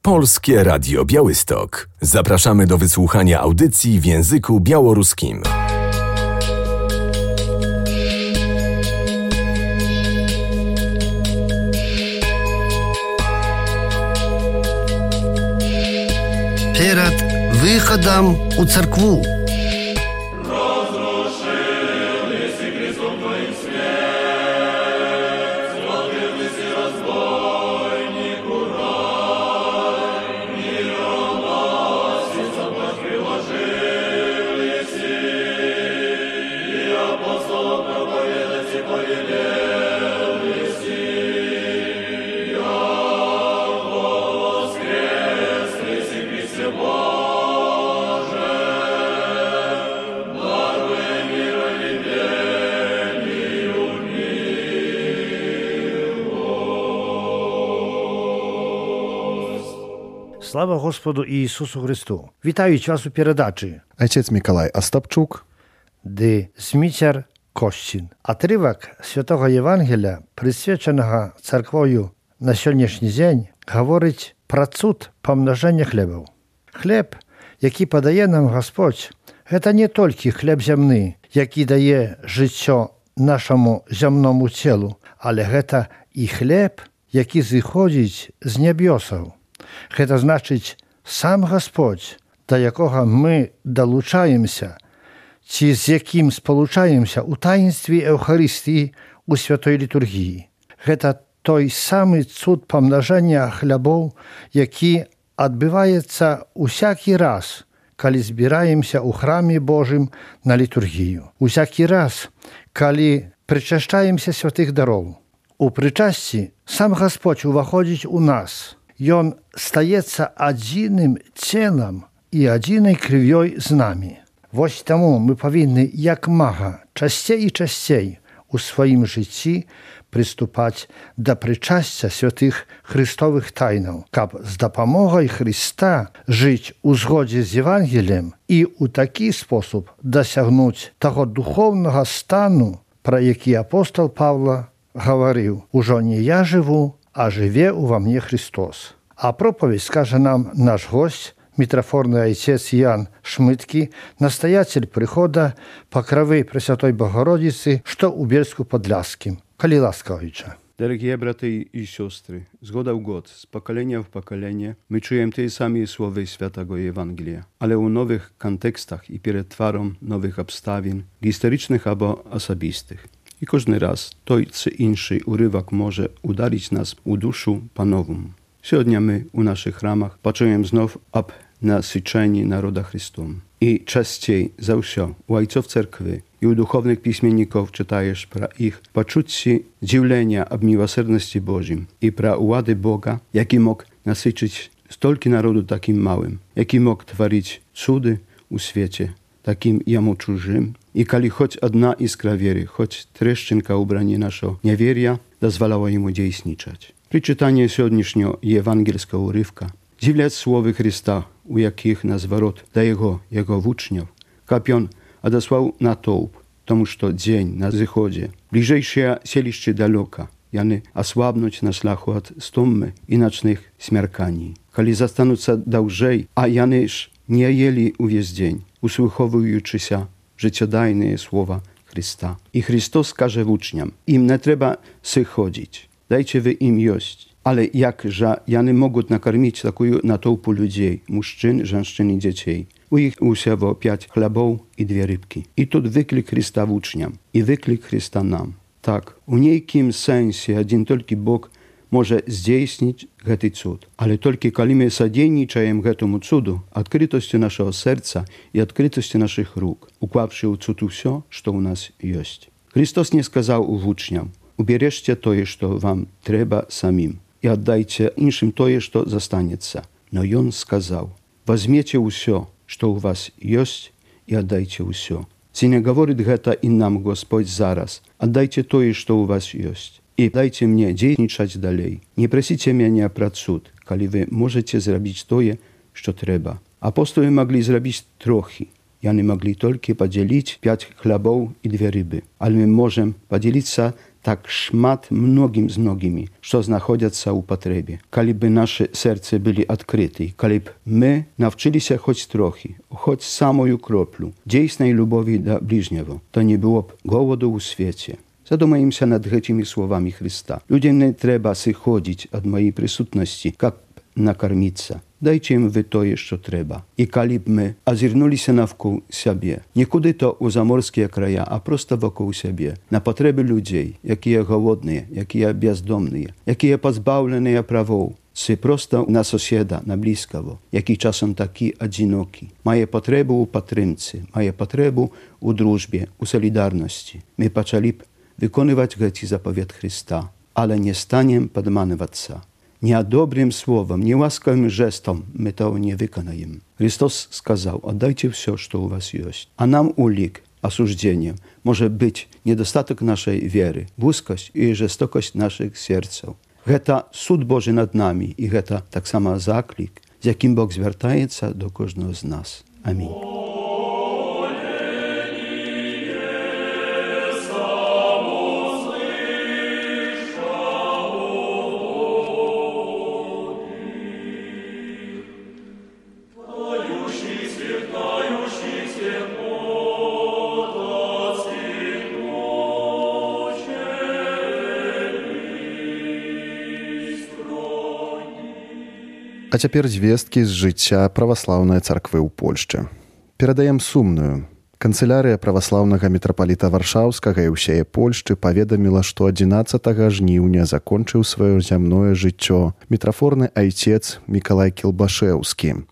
Polskie Radio Białystok. Zapraszamy do wysłuchania audycji w języku białoruskim. Перед выходом у церкву. Слава Господу Ісусу Христу! Вітають вас у передачі. Отець Миколай Остапчук. Де Смітяр Костін. Отрывок Святого Євангелія, присвяченого церквою на сьогоднішній день, говорить про цуд помноження хлібів. Хліб, який подає нам Господь, це не тільки хліб земний, який дає життя нашому земному тілу, але це і хліб, який зіходить з небесів. Це значить сам Господь, до якого ми долучаємося, чи з яким сполучаємося у таїнстві Евхаристії у святої літургії. Це той самий цуд помноження хлібів, який відбувається усякий раз, коли збираємося у храмі Божим на літургію. Усякий раз, коли причащаємося святих даров. У причасті сам Господь уваходить у нас. Ён стаецца адзіным целам і адзінай крывёй з намі. Вось таму мы павінны як мага часцей і часцей у сваім жыцці прыступаць да прычасця святых христовых тайнаў, каб з дапамогай Христа жыць у згодзе з Евангеліем і ў такі спосаб дасягнуць таго духоўнага стану, пра які апостол Павла гаварыў: «Ужо не я жыву, а живе ува мне Христос». А проповедь скаже нам наш гость, митрофорный отец Ян Шмытки, настоятель прихода Покрови Пресвятой Богородицы, что у Бельску-Подляским. Коли ласкавича. Дорогие браты и сестры, с года в год, с поколения в поколение, мы чуем те самые слова Святого Евангелия, але у новых контекстах и перед тваром новых обставин, историчных або особистых. I każdy raz той czy inszy urywak może udalić nas u duszu panową. Сегодня my u naszych ramach patrzymy znów об nasyceni naroda Chrystum. I częściej za wsio u ojców cerkwy i u duchownych pismienników czytajesz pra ich poczucie dziwlenia ob miłosierności Bożym i pra ułady Boga, jaki mógł nasycić stolki narodu takim małym, jaki mógł twarić cudy u świecie, takim jemu czужим, i kali choć одна iskra wiery, choć treszczynka ubranie naszego niewieria, dozwalała jemu działać. Przy czytaniu сегодняшнего ewangelskiego urywka dziwlać słowy Chrysta, u jakich na zwrot do jego uczniów, kapion odesłał natłop, tomu że dzień na zachodzie, bliżejsze sieliście daleka, jany osłabnąć na szlachu od stummy i nocnych śmierkani. Kali zastanutся dłużej, a janyż nie jeli uwiez dzień, usłuchowujący się życiodajne słowa Chrysta. I Chrystus każe uczniom, im nie trzeba sy chodzić, dajcie wy im jeść. Ale jakże jany mogą nakarmić taką natłupę ludzi, mężczyzn, żeńszczyn i dzieci. U ich usiało 5 chlebów i 2 rybki. I тут wyklik Chrysta uczniom i wyklik Chrysta nam. Tak, u niejakim sensie jeden tylko Bóg może zdійснить гэты cud. Ale tylko kiedy my sodejniczajemy гэтому cudu, odkrytością naszego serca i odkrytością naszych róg, ukławszy u cud все, co u nas jest. Chrystus nie skazał uczniom: ubierzcie to, co wam trzeba samim i oddajcie innym to, co zostaniecie. No on skazał: weźmiecie все, co u was jest i oddajcie все. Czy nie mówi гэта i nam Gospodź zaraz: oddajcie to, co u was jest. I dajcie mnie działać dalej. Nie prosicie mnie o cud, kiedy wy możecie zrobić to, co trzeba. Apostoły mogli zrobić trochę. Jany mogli tylko podzielić 5 chlebów i 2 ryby. Ale my możemy podzielić się так шмат многім з многімі, што знаходзяцца ў патрэбе. Калі бы нашы сэрцы былі адкрыты, калі б мы навчыліся хоць трохі, хоць самую кроплю дзейснай любові да ближнего, то не было б голоду ў свеце. Задумаемся над гэтымі словамі Христа. Людям не трэба сыходзіць ад маёй прысутнасці, каб накарміцца. Дайце ім вы тое, што трэба. І калі б мы азірнуліся навкол сябе, нікуди то ў заморскія края, а проста вакол сябе, на патрэбы людзей, якія голодныя, якія бяздомныя, якія пазбаўленыя правоў, ці проста на соседа, на блізкаго, які часам такі адзінокі, мае патрэбу ў падтрымцы, мае патрэбу ў дружбе, у салідарнасці. Мы пачалі б выконваць гэты запавет Христа, але не станем падманвацца. Nie dobrym słowem, nie łaskawym gestom my to nie wykonajem. Chrystus сказал, отдайте все, что у вас есть. А нам улик, осуждением, может быть недостаток нашей веры, узкость и жестокость наших сердцев. Это суд Божий над нами, и это так само заклик, з яким Бог звертається до кожного з нас. Амінь. А цяпер звесткі з жыцця праваслаўнай царквы ў Польшчы. Перадаем сумную. Канцылярыя праваслаўнага мітрапаліта Варшаўскага і ўсяе Польшчы паведаміла, што 11 жніўня закончыў сваё зямное жыццё мітрафорны айцец Мікалай Кілбашэўскі.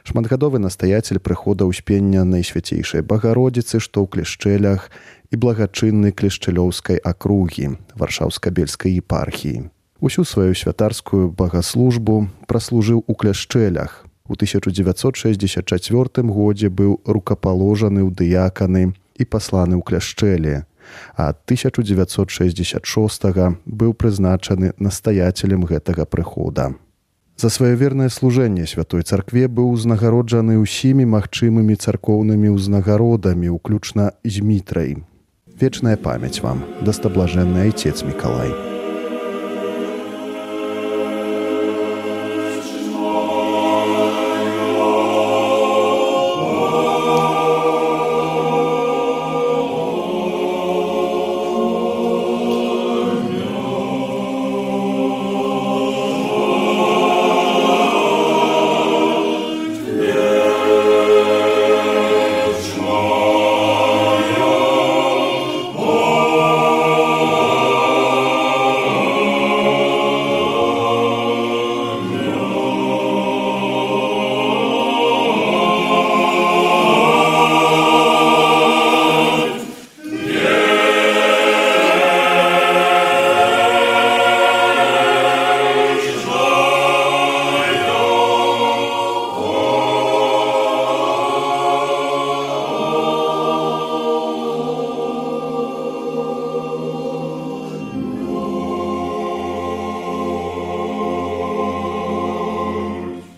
Шматгадовы настаяцель прыхода ўспення Найсвяцейшай Багародзіцы, што ў Клішчэлях, і благачынны Клішчэлёўскай акругі Варшаўска-Бельскай епархіі. Усю сваю святарскую багаслужбу праслужыў у Кляшчэлях. У 1964 годзе быў рукапаложаны ў дыяканы і пасланы ў Кляшчэлі, а 1966 быў прызначаны настаяцелем гэтага прыхода. За сваё вернае служэнне святой царкве быў узнагароджаны ўсімі магчымымі царкоўнымі ўзнагародамі, уключна з Мітрай. Вечная памяць вам, дастаблажэнны айцец Мікалай.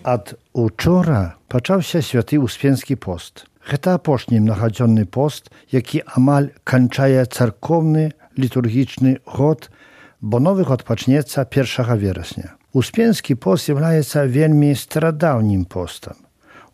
Ад учора пачаўся святы Успенскі пост. Гэта апошні мнагадзённы пост, які амаль канчае царкоўны літургічны год, бо новы год пачнецца 1 верасня. Успенскі пост з'яўляецца вельмі старадаўнім постам.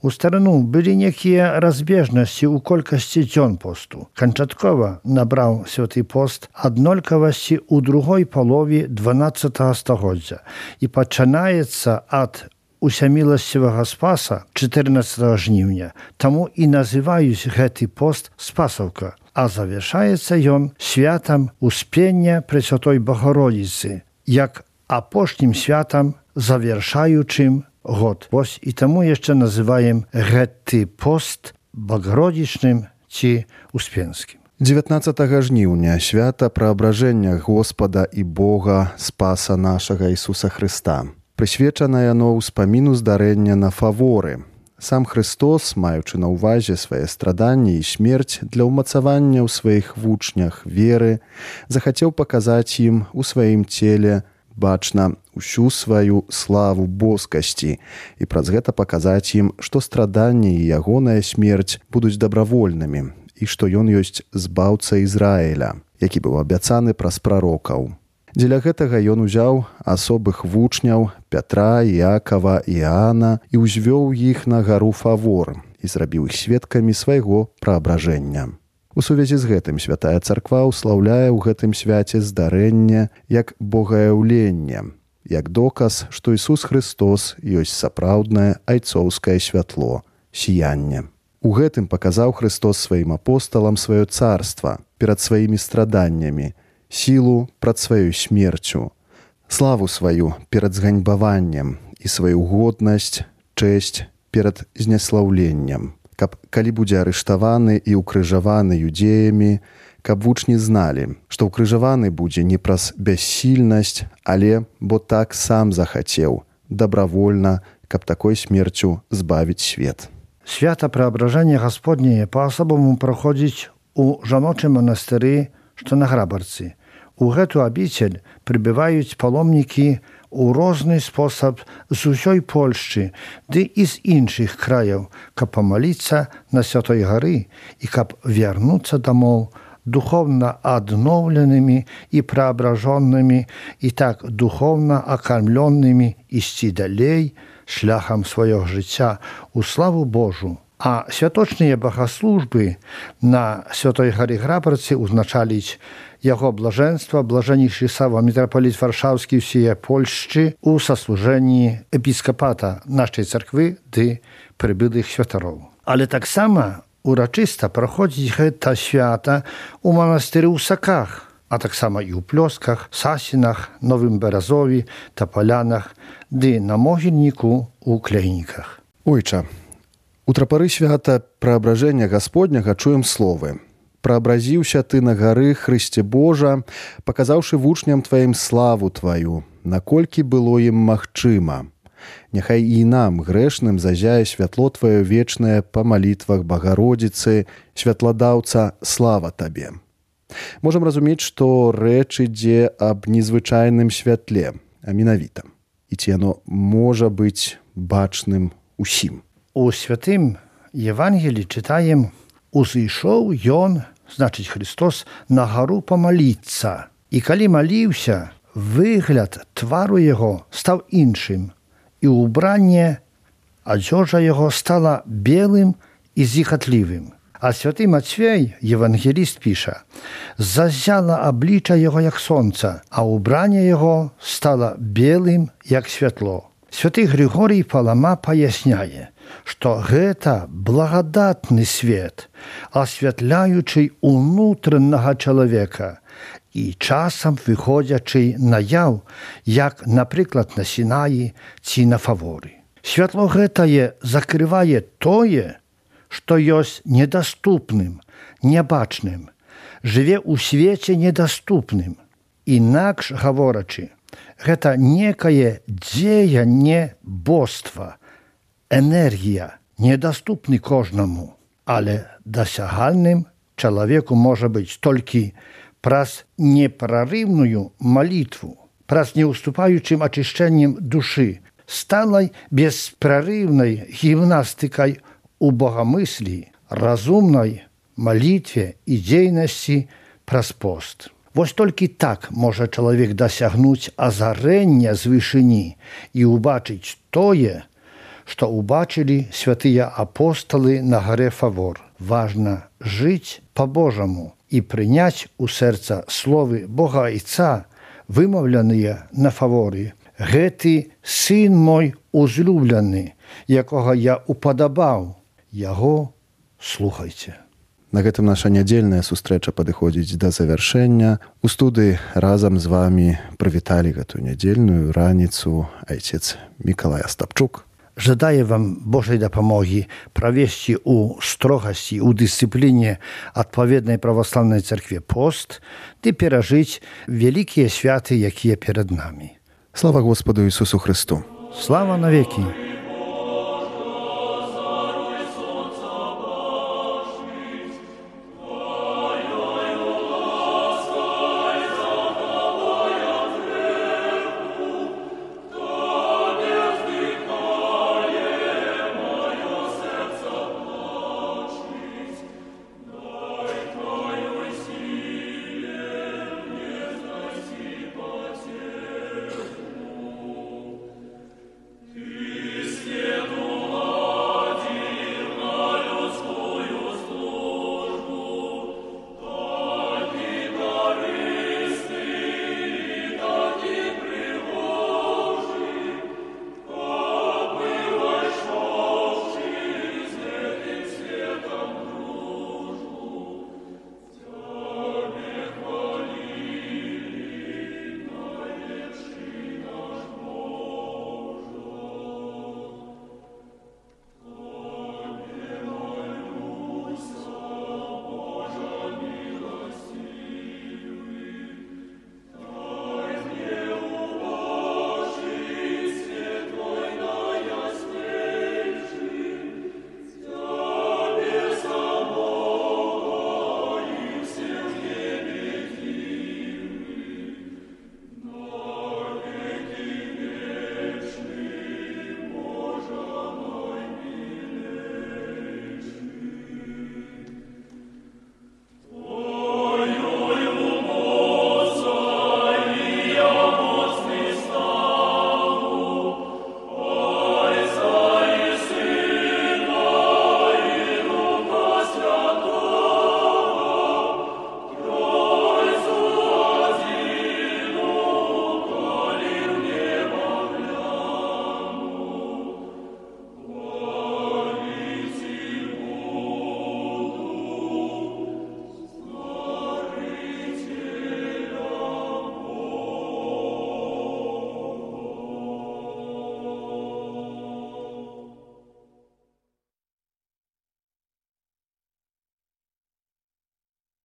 У старыну былі некія разбежнасці ў колькасці дзён посту. Канчаткова набраў святы пост аднолькавасці ў другой палове 12 стагоддзя і пачынаецца ад усяміласцівага Спаса 14 жніўня, таму і называюць гэты пост Спасаўка, а завяршаецца ён святам Успення Пресвятой Багародзіцы, як апошнім святам завяршаючым год. Вось і таму яшчэ называем гэты пост багародзічным ці успенскім. 19 жніўня свята праабражэння Господа і Бога Спаса нашага Ісуса Хрыста. Прысвечана яно ўспаміну здарэння на Фаворы. Сам Христос, маючы на ўвазе свае страданні і смерць для ўмацавання ў сваіх вучнях веры, захацеў паказаць ім у сваім целе бачна ўсю сваю славу боскасці і праз гэта паказаць ім, што страданні і ягоная смерць будуць дабравольнымі і што ён ёсць збаўца Ізраіля. які быў абяцаны праз прарокаў. Дзеля гэтага ён узяў асобых вучняў Пятра, Іакава і Іаана і ўзвёў іх на гару Фавор і зрабіў іх сведкамі свайго праабражэння. У сувязі з гэтым святая царква ўслаўляе ў гэтым свяце здарэнне як богаяўленне, як доказ, што Ісус Христос ёсць сапраўднае айцоўскае святло, сіянне. У гэтым паказаў Христос сваім апосталам сваё царства перад сваімі страданнямі, сілу прад сваёй смерцю, славу сваю перад зганьбаваннем і сваю годнасць, чэсць перад зняслаўленнем, каб, калі будзе арыштаваны і ўкрыжаваны юдеямі, каб вучні зналі, што ўкрыжаваны будзе не праз бяссільнасць, але бо так сам захацеў, добравольна, каб такой смерцю збавіць свет. Свята Преображення Господнє по-особому проходить у жаночым манастыры, што на Грабарцы. У гэту абіцель прыбываюць паломнікі у розны спосаб з усёй Польшчы, ды і з іншых краяў, каб памаліцца на Святой гары і каб вярнуцца дамоў духовна адноўленымі і преображенымі і так духовна акармлёнымі ісці далей шляхам свайго жыцця у славу Божу. А святочныя богаслужбы на Святой гары Грабарцы узначаліць яго блажэнства, блажэннейшы Сава, мітрапаліт Варшаўскі ўсіяе Польшчы у саслужэнні епіскапата нашай царквы ды прыбылых святароў. Але таксама урачыста праходзіць гэта свята у манастыры ў Саках, а таксама і ў Плёсках, Сасінах, Новым Беразові, Тапалянах ды на могільніку ў Кляйніках. Ойча, у трапары свята Преображення Господняга чуем словы: «Праабразіўся ты на гары, Хрысце Божа, паказаўшы вучням тваім славу тваю, наколькі было ім магчыма. Няхай і нам, грэшным, зазяе святло тваё вечнае па малітвах Багародзіцы, святладаўца, слава табе». Можам разумець, што рэч ідзе аб незвычайным святле, а менавіта. І ці яно можа быць бачным усім. У святым Євангелі читаем: «Узышоў ён, значыць Христос, на гару памаліцца. І калі маліўся, выгляд твару яго стаў іншым, і ўбранне адзежа яго стала белым і зіхатлівым». А святы Мацвей, євангеліст, піша: «Зазяла аблічча яго, як сонца, а ўбранне яго стала белым, як святло». Святы Григорій Палама паясняе, што гэта благадатны свет, асвятляючы унутранага чалавека і часам выходзячы наяў, як, напрыклад, на Сінаі ці на Фаворы. Святло гэтае закрывае тое, што ёсць недаступным, нябачным, жыве ў свеце недаступным. Інакш гаворачы, гэта некае дзеянне боства, энергія, недаступны кожнаму, але дасягальным чалавеку можа быць толькі праз непрарыўную малітву, праз неўступаючым ачышчэннем душы, сталай беспрарыўнай гімнастыкай у богамыслі, разумнай малітве і дзейнасці праз пост. Вось толькі так можа чалавек дасягнуць азарэння з вышыні і ўбачыць тое, што ўбачылі святыя апосталы на гаре Фавор. Важна жыць па-божаму і прыняць у сэрца словы Бога Айца, вымаўленыя на Фаворы: «Гэты сын мой узлюблены, якога я упадабаў, яго слухайце». На гэтым наша нядзельная сустрэча падыходзіць да завяршэння. У студыі разам з вамі прывіталі гэтую нядзельную раніцу айцец Мікалай Астапчук. Жадаю вам Божай дапамогі правесці ў строгасці, у дысцыпліне адпаведнай праваслаўнай царкве пост ды перажыць вялікія святы, якія перад намі. Слава Господу Ісусу Христу! Слава навекі!